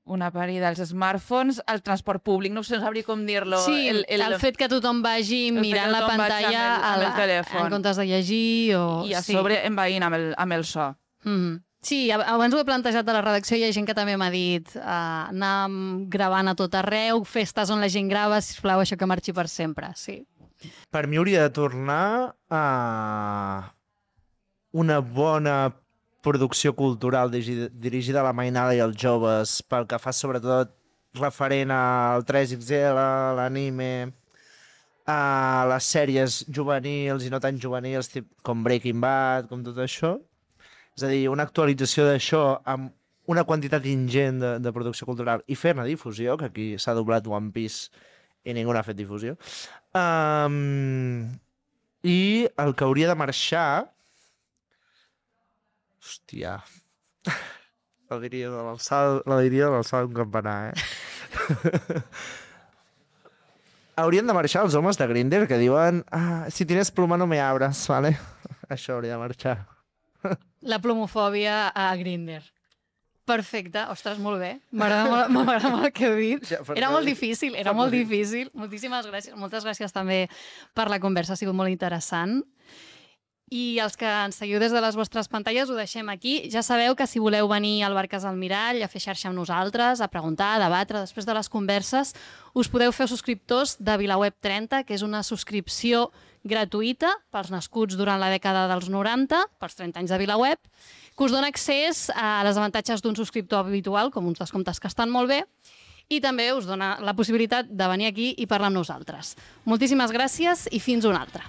una parida dels smartphones, el transport públic, no sé, no sabria com dir-lo. Sí, el, el, el fet que tothom vagi el fet mirant que la tothom vagi pantalla amb el- amb el al- telèfon. en comptes de llegir o... I a sí. sobre envaint amb el, amb el so. Mm -hmm. Sí, ab- abans ho he plantejat a la redacció, hi ha gent que també m'ha dit uh, anar gravant a tot arreu, festes on la gent grava, sisplau, això que marxi per sempre, sí. Per mi hauria de tornar a una bona producció cultural dirigida, dirigida a la mainada i als joves, pel que fa sobretot referent al tres X L, a l'anime, a les sèries juvenils i no tan juvenils, tip, com Breaking Bad, com tot això. És a dir, una actualització d'això amb una quantitat ingent de, de producció cultural i fer-ne difusió, que aquí s'ha doblat One Piece i ningú n'ha fet difusió. Um, I el que hauria de marxar... Hòstia... La diria de l'alçada la diria de l'alçada d'un campanar, eh? Haurien de marxar els homes de Grindr que diuen ah, si tienes pluma no me abras, ¿vale? Això hauria de marxar. La plomofòbia a Grindr. Perfecte, ostres, molt bé. M'agrada molt, m'agrada molt el que heu dit. Ja, per Era què? molt difícil, era Per molt què? difícil. Moltíssimes gràcies. Moltes gràcies també per la conversa, ha sigut molt interessant. I els que ens seguiu des de les vostres pantalles ho deixem aquí. Ja sabeu que si voleu venir al Bar Casa al Mirall a fer xarxa amb nosaltres, a preguntar, a debatre després de les converses, us podeu fer subscriptors de VilaWeb trenta, que és una subscripció gratuïta pels nascuts durant la dècada dels noranta, pels trenta anys de VilaWeb, que us dona accés a les avantatges d'un subscriptor habitual, com uns descomptes que estan molt bé, i també us dona la possibilitat de venir aquí i parlar amb nosaltres. Moltíssimes gràcies i fins una altra.